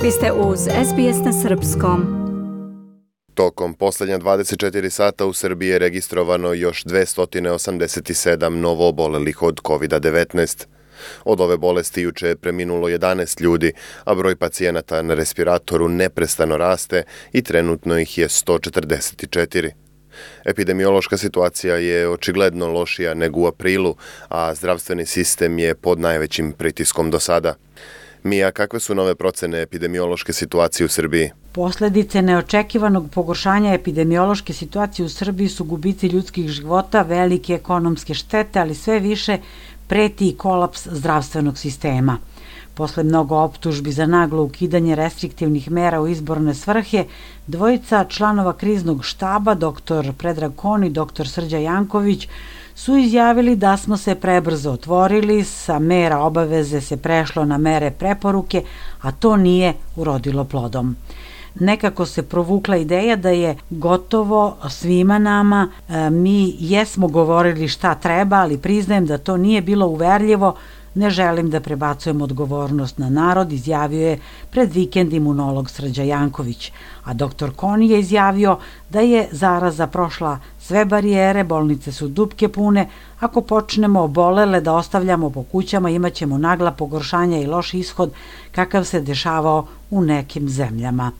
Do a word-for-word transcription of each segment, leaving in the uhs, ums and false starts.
Vi ste uz S B S na srpskom. Tokom poslednja dvadeset četiri sata u Srbiji je registrovano još dvesta osamdeset sedam novoobolelih od kovid devetnaest. Od ove bolesti juče je preminulo jedanaest ljudi, a broj pacijenata na respiratoru neprestano raste i trenutno ih je sto četrdeset četiri. Epidemiološka situacija je očigledno lošija nego u aprilu, a zdravstveni sistem je pod najvećim pritiskom do sada. Mija, kakve su nove procene epidemiološke situacije u Srbiji? Posledice neočekivanog pogoršanja epidemiološke situacije u Srbiji su gubici ljudskih života, velike ekonomske štete, ali sve više preti i kolaps zdravstvenog sistema. Posle mnogo optužbi za naglo ukidanje restriktivnih mera u izborne svrhe, dvojica članova kriznog štaba, doktor Predrag Kon i doktor Srđan Janković, su izjavili da smo se prebrzo otvorili, sa mera obaveze se prešlo na mere preporuke, a to nije urodilo plodom. Nekako se provukla ideja da je gotovo svima nama, mi jesmo govorili šta treba, ali priznajem da to nije bilo uverljivo, ne želim da prebacujem odgovornost na narod, izjavio je pred vikend imunolog Srđan Janković, a doktor Koni je izjavio da je zaraza prošla sve barijere, bolnice su dupke pune, ako počnemo obolele da ostavljamo po kućama imaćemo nagla pogoršanja i loš ishod kakav se dešavao u nekim zemljama.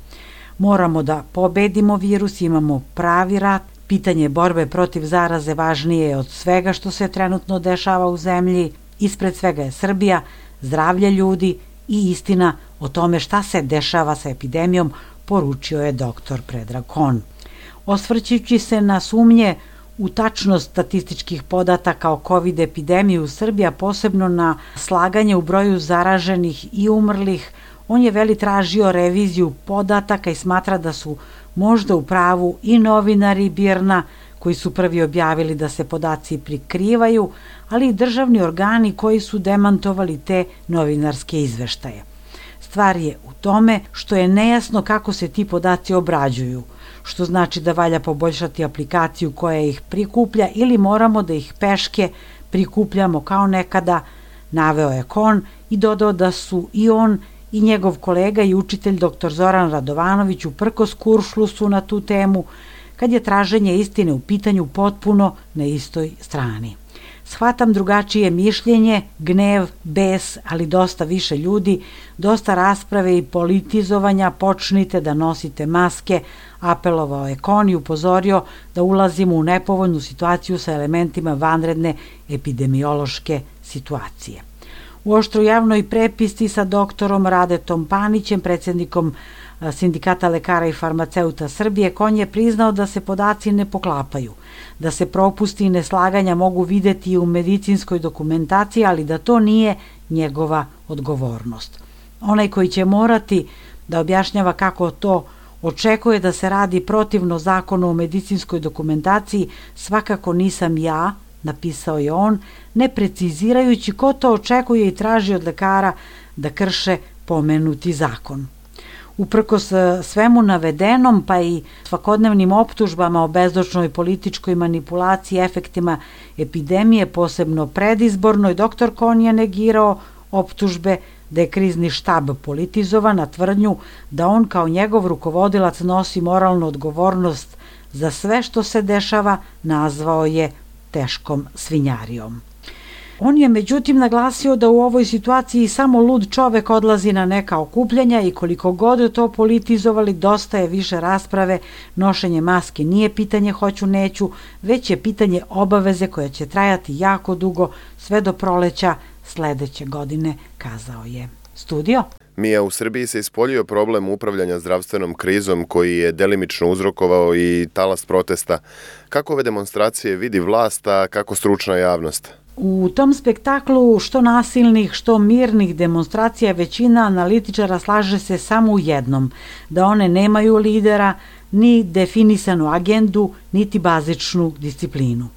Moramo da pobedimo virus, imamo pravi rat, pitanje borbe protiv zaraze važnije je od svega što se trenutno dešava u zemlji, ispred svega je Srbija, zdravlje ljudi i istina o tome šta se dešava sa epidemijom, poručio je doktor Predrag Kon. Osvrćući se na sumnje u tačnost statističkih podataka o COVID epidemiji u Srbiji, a posebno na slaganje u broju zaraženih i umrlih, on je veli tražio reviziju podataka i smatra da su možda u pravu i novinari Birna, koji su prvi objavili da se podaci prikrivaju, ali i državni organi koji su demantovali te novinarske izveštaje. Stvar je u tome što je nejasno kako se ti podaci obrađuju, što znači da valja poboljšati aplikaciju koja ih prikuplja ili moramo da ih peške prikupljamo kao nekada, naveo je Kon i dodao da su i on i njegov kolega i učitelj doktor Zoran Radovanović uprkos kuršlusu na tu temu, kad je traženje istine u pitanju potpuno na istoj strani. Shvatam drugačije mišljenje, gnev, bes, ali dosta više ljudi, dosta rasprave i politizovanja, počnite da nosite maske, apelovao je Kon i upozorio da ulazimo u nepovoljnu situaciju sa elementima vanredne epidemiološke situacije. U oštroj javnoj prepisci sa doktorom Radetom Panićem, predsjednikom Sindikata lekara i farmaceuta Srbije, Kon je priznao da se podaci ne poklapaju, da se propusti i neslaganja mogu videti i u medicinskoj dokumentaciji, ali da to nije njegova odgovornost. Onaj koji će morati da objašnjava kako to očekuje da se radi protivno zakonu o medicinskoj dokumentaciji, svakako nisam ja, napisao je on, ne precizirajući ko to očekuje i traži od lekara da krše pomenuti zakon. Uprkos svemu navedenom, pa i svakodnevnim optužbama o bezdočnoj političkoj manipulaciji efektima epidemije, posebno predizbornoj, doktor Kon je negirao optužbe da je krizni štab politizovan, a tvrdnju da on kao njegov rukovodilac nosi moralnu odgovornost za sve što se dešava, nazvao je teškom svinjarijom. On je međutim naglasio da u ovoj situaciji samo lud čovek odlazi na neka okupljanja i koliko god to politizovali, dosta je više rasprave, nošenje maske nije pitanje hoću neću, već je pitanje obaveze koja će trajati jako dugo, sve do proleća sledeće godine, kazao je. Studio? Mija, u Srbiji se ispoljio problem upravljanja zdravstvenom krizom koji je delimično uzrokovao i talas protesta. Kako ove demonstracije vidi vlast, a kako stručna javnost? U tom spektaklu što nasilnih, što mirnih demonstracija većina analitičara slaže se samo u jednom, da one nemaju lidera, ni definisanu agendu, niti bazičnu disciplinu.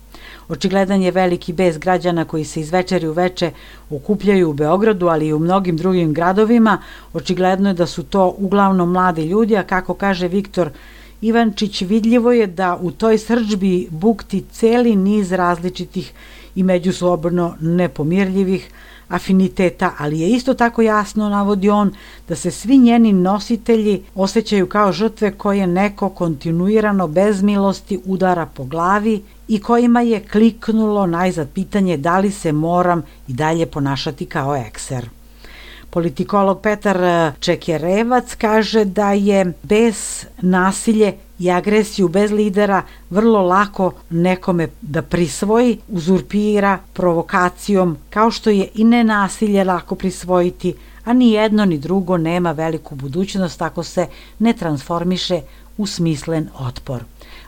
Očigledan je veliki bes građana koji se iz večeri u veče okupljaju u Beogradu, ali i u mnogim drugim gradovima. Očigledno je da su to uglavnom mladi ljudi, a kako kaže Viktor Ivančić, vidljivo je da u toj srdžbi bukti celi niz različitih i međusobno nepomirljivih, afiniteta, ali je isto tako jasno, navodi on, da se svi njeni nositelji osjećaju kao žrtve koje neko kontinuirano bez milosti udara po glavi i kojima je kliknulo najzad pitanje da li se moram i dalje ponašati kao ekser. Politikolog Petar Čekerevac kaže da je bez nasilje i agresiju bez lidera vrlo lako nekome da prisvoji, uzurpira provokacijom, kao što je i nenasilje lako prisvojiti, a ni jedno ni drugo nema veliku budućnost ako se ne transformiše u smislen otpor.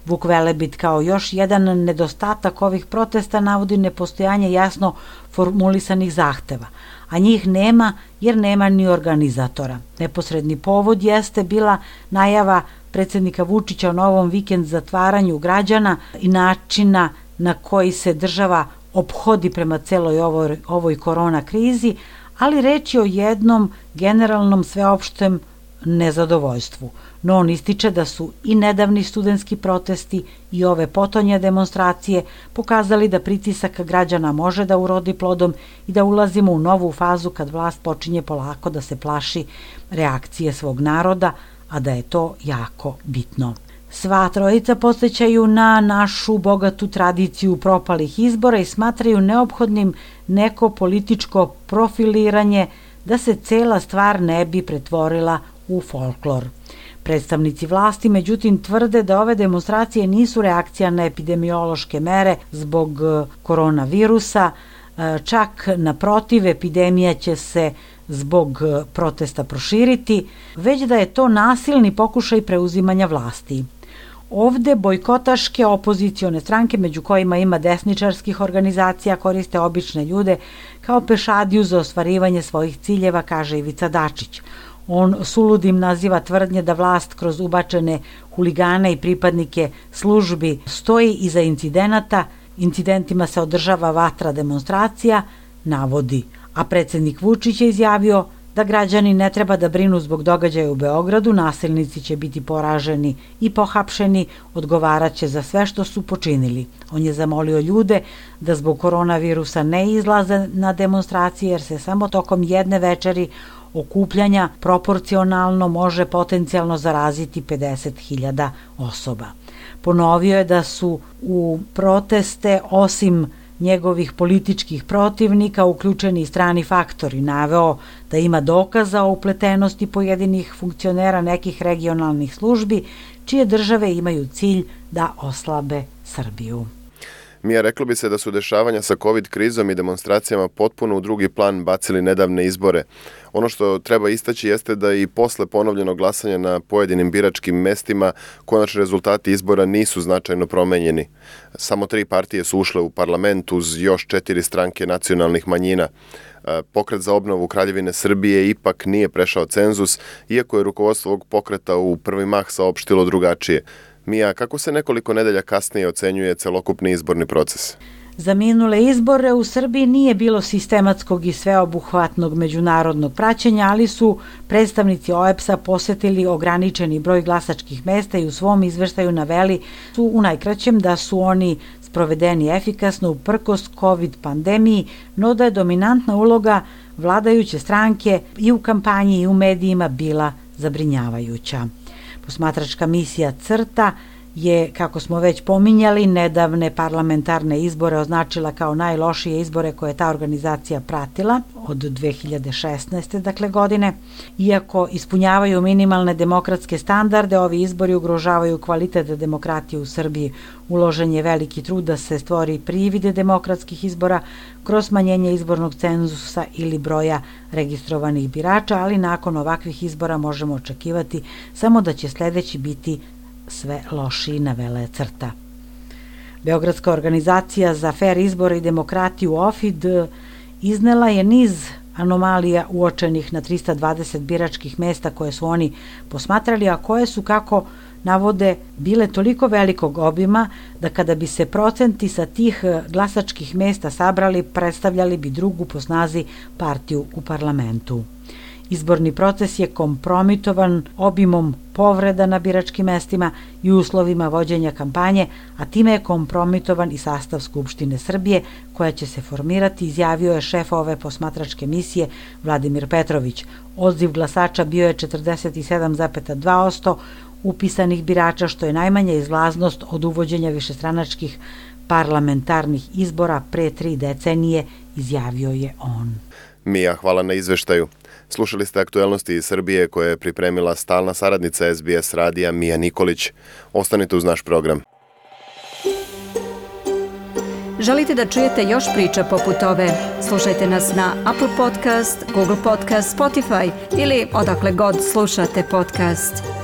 Vuk Velebit kao još jedan nedostatak ovih protesta navodi nepostojanje jasno formulisanih zahteva, a njih nema jer nema ni organizatora. Neposredni povod jeste bila najava predsjednika Vučića o novom vikend zatvaranju građana i načina na koji se država ophodi prema celoj ovoj, ovoj korona krizi, ali reč je o jednom generalnom sveopštem nezadovoljstvu. No on ističe da su i nedavni studentski protesti i ove potonje demonstracije pokazali da pritisak građana može da urodi plodom i da ulazimo u novu fazu kad vlast počinje polako da se plaši reakcije svog naroda, a da je to jako bitno. Sva trojica podsjećaju na našu bogatu tradiciju propalih izbora i smatraju neophodnim neko političko profiliranje da se cela stvar ne bi pretvorila u folklor. Predstavnici vlasti, međutim, tvrde da ove demonstracije nisu reakcija na epidemiološke mere zbog koronavirusa, čak naprotiv, epidemija će se zbog protesta proširiti, već da je to nasilni pokušaj preuzimanja vlasti. Ovde bojkotaške opozicione stranke, među kojima ima desničarskih organizacija, koriste obične ljude kao pešadiju za ostvarivanje svojih ciljeva, kaže Ivica Dačić. On suludim naziva tvrdnje da vlast kroz ubačene huligane i pripadnike službi stoji iza incidenata, incidentima se održava vatra demonstracija, navodi. A predsjednik Vučić je izjavio da građani ne treba da brinu zbog događaja u Beogradu, nasilnici će biti poraženi i pohapšeni, odgovaraće za sve što su počinili. On je zamolio ljude da zbog koronavirusa ne izlaze na demonstracije jer se samo tokom jedne večeri okupljanja proporcionalno može potencijalno zaraziti pedeset hiljada osoba. Ponovio je da su u proteste osim njegovih političkih protivnika uključeni i strani faktori. Naveo da ima dokaza o upletenosti pojedinih funkcionera nekih regionalnih službi čije države imaju cilj da oslabe Srbiju. Mija, reklo bi se da su dešavanja sa COVID krizom i demonstracijama potpuno u drugi plan bacili nedavne izbore. Ono što treba istaći jeste da i posle ponovljenog glasanja na pojedinim biračkim mestima konačni rezultati izbora nisu značajno promenjeni. Samo tri partije su ušle u parlament uz još četiri stranke nacionalnih manjina. Pokret za obnovu Kraljevine Srbije ipak nije prešao cenzus, iako je rukovodstvo ovog pokreta u prvi mah saopštilo drugačije. Mija, kako se nekoliko nedelja kasnije ocenjuje celokupni izborni proces? Za minule izbore u Srbiji nije bilo sistematskog i sveobuhvatnog međunarodnog praćenja, ali su predstavnici O E B S-a posetili ograničeni broj glasačkih mesta i u svom izveštaju naveli su u najkraćem da su oni sprovedeni efikasno uprkos COVID pandemiji, no da je dominantna uloga vladajuće stranke i u kampanji i u medijima bila zabrinjavajuća. Posmatračka misija CRTA je, kako smo već pominjali, nedavne parlamentarne izbore označila kao najlošije izbore koje je ta organizacija pratila od dve hiljade šesnaeste. dakle godine. Iako ispunjavaju minimalne demokratske standarde, ovi izbori ugrožavaju kvalitet demokratije u Srbiji. Uložen je veliki trud da se stvori privide demokratskih izbora kroz smanjenje izbornog cenzusa ili broja registrovanih birača, ali nakon ovakvih izbora možemo očekivati samo da će sledeći biti sve lošiji, navela je CRTA. Beogradska organizacija za fer izbore i demokratiju O F I D iznela je niz anomalija uočenih na trista dvadeset biračkih mesta koje su oni posmatrali, a koje su, kako navode, bile toliko velikog obima da kada bi se procenti sa tih glasačkih mesta sabrali, predstavljali bi drugu po snazi partiju u parlamentu. Izborni proces je kompromitovan obimom povreda na biračkim mestima i uslovima vođenja kampanje, a time je kompromitovan i sastav Skupštine Srbije, koja će se formirati, izjavio je šef ove posmatračke misije Vladimir Petrović. Odziv glasača bio je četrdeset sedam zarez dva posto upisanih birača, što je najmanja izlaznost od uvođenja višestranačkih parlamentarnih izbora pre tri decenije, izjavio je on. Mija, hvala na izveštaju. Slušali ste aktuelnosti iz Srbije koje je pripremila stalna saradnica S B S radija Mija Nikolić. Ostanite uz naš program. Želite da čujete još priča poput ove? Slušajte nas na Apple Podcast, Google Podcast, Spotify ili odakle god slušate podcast.